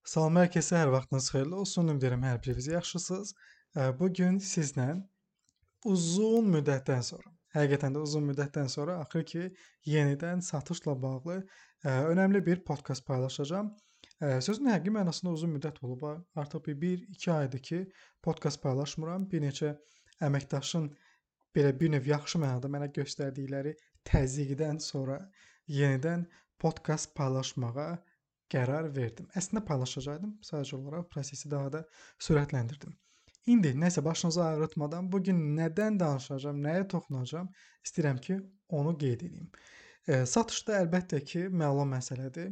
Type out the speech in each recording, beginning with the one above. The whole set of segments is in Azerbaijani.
Salam, hər kəsə hər vaxtınız xeyirli olsun. Ümid edirəm hər biriniz yaxşısınız. Bu gün sizlə uzun müddətdən sonra, həqiqətən də uzun müddətdən sonra axır ki, yenidən satışla bağlı önəmli bir podkast paylaşacağam. Sözün həqiqi mənasında uzun müddət olub. Artıq bir 1-2 aydır ki, podkast paylaşmıram. Bir neçə əməkdaşın belə bir növ yaxşı mənada mənə göstərdikləri təzyiqdən sonra yenidən podkast paylaşmağa qərar verdim. Əslində paylaşacaqdım, sadəcə olaraq prosesi daha da sürətləndirdim. İndi nəsə başınızı ağrıtmadan bu gün nədən danışacağam, nəyə toxunacağam, istəyirəm ki, onu qeyd edeyim. Satışda əlbəttə ki, məlum məsələdir.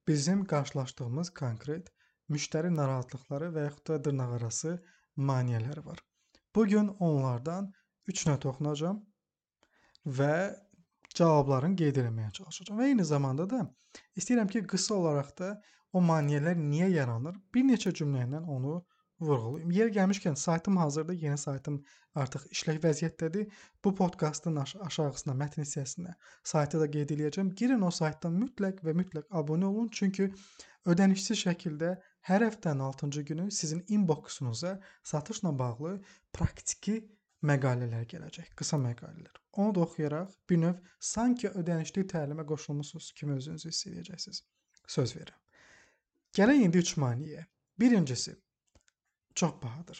Bizim qarşılaşdığımız konkret müştəri narahatlıqları və yaxud da dırnaqarası maneələri var. Bu gün onlardan 3-nə toxunacağam və cavablarını qeyd etməyə çalışacağam. Və eyni zamanda da istəyirəm ki, qısa olaraq da o maneələr niyə yaranır, bir neçə cümlə ilə onu vurğulayım. Yer gəlmişkən saytım hazırdır, yeni saytım artıq işlək vəziyyətdədir. Bu podkastın aşağısına, mətn hissəsinə saytı da qeyd edəcəm. Girin o saytdan mütləq və mütləq abunə olun, çünki ödənişsiz şəkildə hər həftənin 6-cı günü sizin inboxunuza satışla bağlı praktiki məqalələr gələcək, qısa məqalələr. Onu da oxuyaraq bir növ sanki ödənişli təlimə qoşulmusunuz kimi özünüzü hiss edəcəksiniz. Söz verirəm. Gələk indi 3 maneəyə. Birincisi, çox bahadır.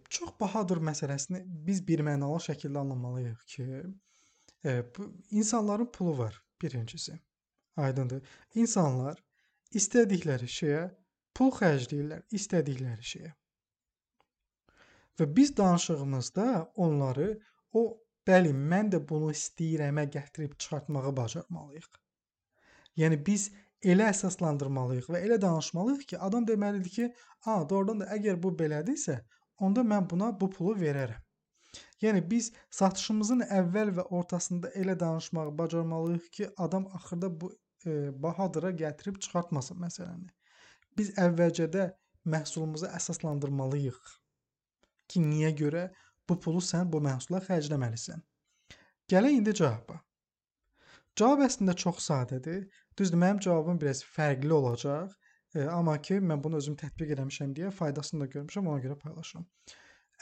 Çox bahadır məsələsini biz birmənalı şəkildə anlamalıyıq ki, insanların pulu var, birincisi. Aydındır. İnsanlar istədikləri şeyə pul xərcləyirlər, istədikləri şeyə. Və biz danışığımızda onları bəli, mən də bunu istəyirəmə gətirib çıxartmağı bacarmalıyıq. Yəni biz elə əsaslandırmalıyıq və elə danışmalıyıq ki, adam deməlidir ki, doğrudan da əgər bu belədirsə, onda mən buna bu pulu verərəm. Yəni biz satışımızın əvvəl və ortasında elə danışmağı bacarmalıyıq ki, adam axırda bu bahadıra gətirib çıxartmasın məsələni. Biz əvvəlcədə məhsulumuzu əsaslandırmalıyıq ki, niyə görə bu pulu sən bu məhsula xərcləməlisən. Gələk indi cavaba. Cavab əslində çox sadədir. Düzdür, mənim cavabım biraz fərqli olacaq, amma ki, mən bunu özüm tətbiq eləmişəm deyə faydasını da görmüşəm, ona görə paylaşıram.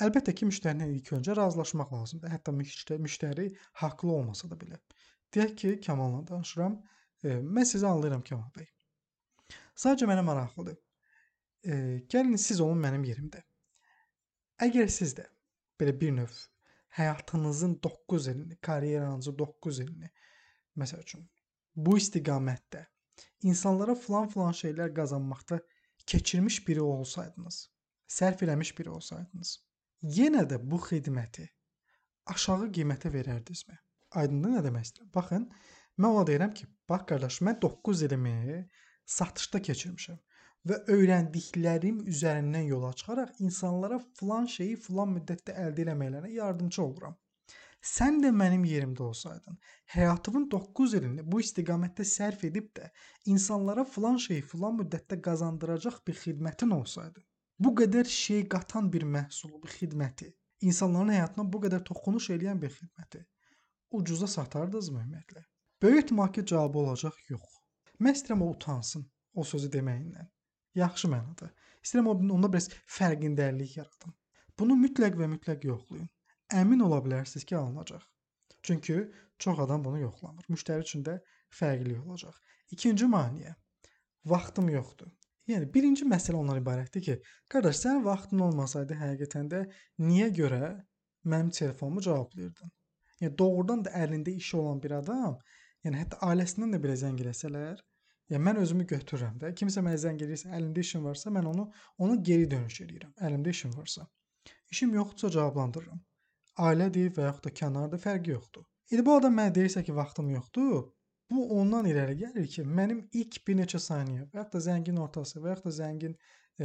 Əlbəttə ki, müştərinin ilk öncə razılaşmaq lazımdır. Hətta müştəri haqlı olmasa da belə. Deyək ki, Kəmalla danışıram. Mən sizi anlayıram, Kəmal bəy. Sadəcə mənə maraqlıdır. Gəlin siz olun mənim yerimdə. Əgər siz də belə bir növ həyatınızın 9 ilini, karyeranızın 9 ilini, məsəl üçün, bu istiqamətdə insanlara filan şeylər qazanmaqda keçirmiş biri olsaydınız, sərf eləmiş biri olsaydınız, yenə də bu xidməti aşağı qiymətə verərdinizmi? Aydındır nə demək istəyirəm? Baxın, mən ona deyirəm ki, bax qardaş, mən 9 ilimi satışda keçirmişəm və öyrəndiklərim üzərindən yola çıxaraq insanlara filan şeyi filan müddətdə əldə etmələrinə yardımcı oluram. Sən də mənim yerimdə olsaydın, həyatının 9 ilini bu istiqamətdə sərf edib də insanlara filan şeyi filan müddətdə qazandıracaq bir xidmətin olsaydı, bu qədər şey qatan bir məhsulu, bir xidməti, insanların həyatına bu qədər toxunuş edən bir xidməti ucuza satardınızmı ümumiyyətlə? Böyük ehtimal ki, cavabı olacaq yox. Mən istəyirəm o utansın o sözü deməyindən. Yaxşı mənada. İstəyirəm onda biraz fərqindəlik yaradım. Bunu mütləq və mütləq yoxlayın. Əmin ola bilərsiniz ki, alınacaq. Çünki çox adam bunu yoxlamır. Müştəri üçün də fərqli olacaq. İkinci maneə. Vaxtım yoxdur. Yəni birinci məsələ ondan ibarətdir ki, qardaş, sənin vaxtın olmasaydı həqiqətən də niyə görə mənim telefonumu cavablayırdın? Yəni doğrudan da əlində işi olan bir adam, yəni hətta ailəsindən də belə zəng eləsələr, yəni mən özümü götürürəm də. Kimsə mənə zəng edirsə, əlimdə işim varsa, mən onu geri dönüş edirəm. Əlimdə işim varsa. İşim yoxdursa cavablandırıram. Ailədir və yaxud da kənarda fərqi yoxdur. İndi bu adam mənə deyirsə ki, vaxtım yoxdur, bu ondan irəli gəlir ki, mənim ilk bir neçə saniyə və yaxud da zəngin ortası və yaxud da zəngin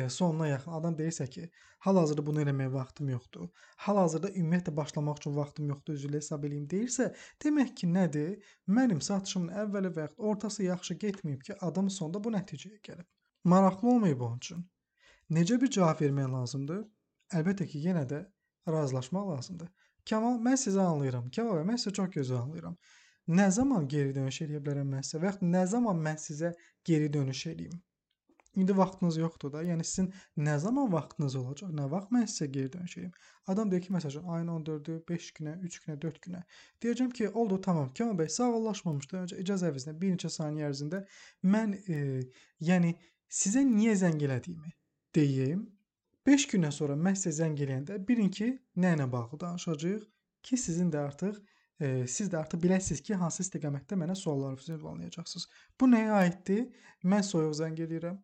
sonuna yaxın adam deyirsə ki, hal-hazırda bunu eləməyə vaxtım yoxdur. Hal-hazırda ümumiyyətlə başlamaq üçün vaxtım yoxdur, üzrlə hesab eləyim deyirsə, demək ki, nədir? Mənim satışımın əvvəli və yaxud ortası yaxşı getməyib ki, adam sonda bu nəticəyə gəlib. Maraqlı olmayıb onun üçün. Necə bir cavab vermək lazımdır? Əlbəttə ki, yenə də razılaşmaq lazımdır. Kəmal, mən sizi anlayıram. Kəmal bəy, mən sizə çox gözəl anlayıram. Nə zaman geri dönüş edə bilərəm mən sizə və yaxud nə zaman mən sizə geri dönüş edeyim? İndi vaxtınız yoxdur da. Yəni sizin nə zaman vaxtınız olacaq? Nə vaxt mən sizə geri dönüş edeyim? Adam deyir ki, məsələn, ayın 14-ü 5 günə, 3 günə, 4 günə. Deyəcəm ki, oldu, tamam. Kemal bəy, sağollaşmamışdan öncə icazənizlə bir neçə saniyə ərzində mən yəni sizə niyə zəng elədiyimi deyim. 5 gündən sonra mən sizə zəng eləyəndə bilin ki, nə ilə bağlı danışacağıq ki, sizin də artıq siz də artıq biləsiniz ki, hansı istiqamətdə mənə suallarınızı ünvanlayacaqsınız. Bu nəyə aiddir? Mən soyuq zəng eləyirəm.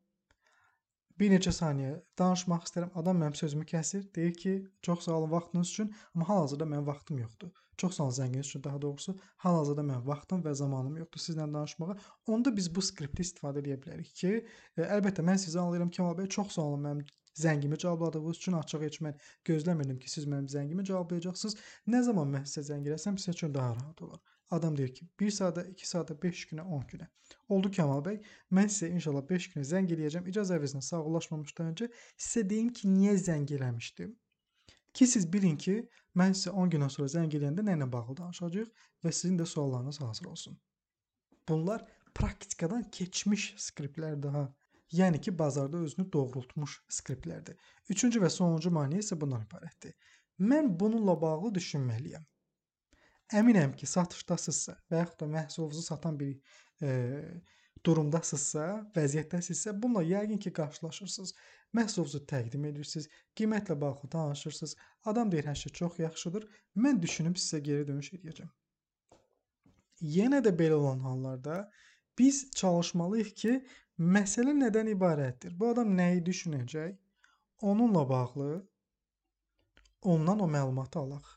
Bir neçə saniyə danışmaq istəyirəm. Adam mənim sözümü kəsir. Deyir ki, çox sağ olun vaxtınız üçün, amma hal-hazırda mənim vaxtım yoxdur. Çox sağ olun zənginiz üçün, daha doğrusu. Hal-hazırda mənim vaxtım və zamanım yoxdur sizlə danışmağa. Onda biz bu skripti istifadə edə bilərik ki, əlbəttə mən sizi anlayıram Kemal bəy, çox sağ olun mənim zəngimi cavabladığınız üçün. Açıq heç mən gözləmirdim ki, siz mənim zəngimi cavablayacaqsınız. Nə zaman mən sizə zəng eləsəm, sizə üçün daha rahat olar. Adam deyir ki, 1 saata, 2 saata, 5 günə, 10 günə. Oldu Kemal bəy, mən sizə inşallah 5 günə zəng eləyəcəm. İcazənizlə sağollaşmamışdan öncə sizə deyim ki, niyə zəng eləmişdim? Ki siz bilin ki, mən sizə 10 gündən sonra zəng eləyəndə nə ilə bağlı danışacağıq və sizin də suallarınız hazır olsun. Bunlar praktikadan keçmiş skriptlərdir ha. Yəni ki, bazarda özünü doğrultmuş skriptlərdir. Üçüncü və sonuncu maneə isə bundan ibarətdir. Mən bununla bağlı düşünməliyəm. Əminəm ki, satışdasınızsa və yaxud da məhsulunuzu satan bir durumdasınızsa, vəziyyətdəsinizsə, bununla yəqin ki, qarşılaşırsınız. Məhsulunuzu təqdim edirsiniz, qiymətlə bağlı danışırsınız. Adam deyir, hər şey çox yaxşıdır. Mən düşünüb sizə geri dönüş edəcəm. Yenə də belə olan hallarda biz çalışmalıyıq ki, məsələ nədən ibarətdir? Bu adam nəyi düşünəcək? Onunla bağlı ondan o məlumatı alaq.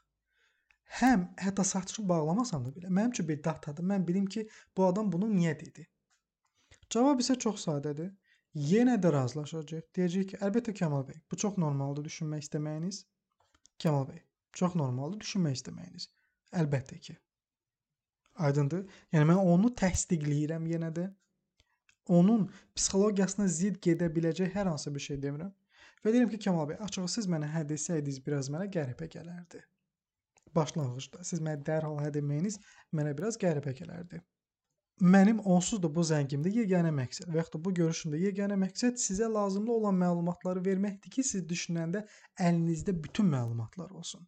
Həm hətta satışı bağlamasam da belə, mənim üçün bir datadır. Mən bilim ki, bu adam bunu niyə dedi? Cavab isə çox sadədir. Yenə də razılaşacaq. Deyəcək ki, əlbəttə Kemal bəy, bu çox normaldır düşünmək istəməyiniz. Kemal bəy, çox normaldır düşünmək istəməyiniz. Əlbəttə ki. Aydındır? Yəni mən onu təsdiqləyirəm yenə də. Onun psixologiyasına zidd gedə biləcək hər hansı bir şey demirəm. Və deyirəm ki, Kemal bəy, açığı siz mənə hə desəydiniz biraz mənə qəribə gələrdi. Başlanğıcda siz mənə dərhal hə deməyiniz mənə biraz qəribə gələrdi. Mənim onsuz da bu zəngimdə yeganə məqsəd və yaxud da bu görüşümdə yeganə məqsəd sizə lazımlı olan məlumatları verməkdir ki, siz düşünəndə əlinizdə bütün məlumatlar olsun.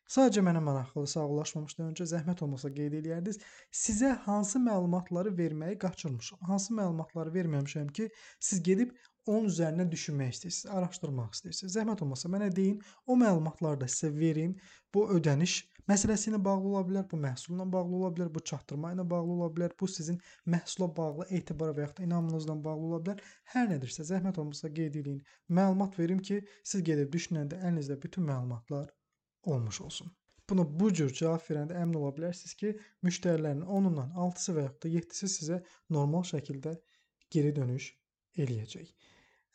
Sadəcə mənə maraqlıdır, sağollaşmamışdan öncə zəhmət olmasa qeyd eləyərdiniz. Sizə hansı məlumatları verməyi qaçırmışam? Hansı məlumatları verməmişəm ki, siz gedib onun üzərindən düşünmək istəyirsiniz, araşdırmaq istəyirsiniz. Zəhmət olmasa mənə deyin, o məlumatları da sizə verim. Bu ödəniş məsələsi ilə bağlı ola bilər, bu məhsulla bağlı ola bilər, bu çatdırma ilə bağlı ola bilər, bu sizin məhsula bağlı etibar və yaxud da inamınızla bağlı ola bilər. Hər nədirsə, zəhmət olmasa qeyd eləyin. Məlumat verim ki, siz gedib düşünəndə əlinizdə bütün məlumatlar olmuş olsun. Buna bu cür cavab verəndə əmin ola bilərsiniz ki, müştərilərin 10-undan 6-sı və yaxud da 7-si sizə normal şəkildə geri dönüş eləyəcək.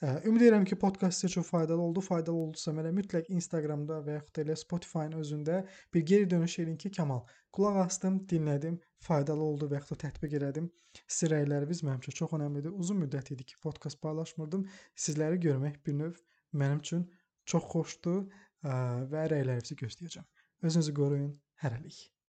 Ümid edirəm ki, podkast sizə çox faydalı oldu. Faydalı oldusa mənə mütləq Instagramda və yaxud da elə Spotify-ın özündə bir geri dönüş edin ki, Kemal, qulaq asdım, dinlədim, faydalı oldu və yaxud da tətbiq elədim. Sizin rəyləriniz mənim üçün çox önəmlidir. Uzun müddət idi ki, podkast paylaşmırdım. Sizləri görmək bir növ mənim üçün çox xoşdur və rəylərinizi gözləyəcəm. Özünüzü qoruyun. Hələlik.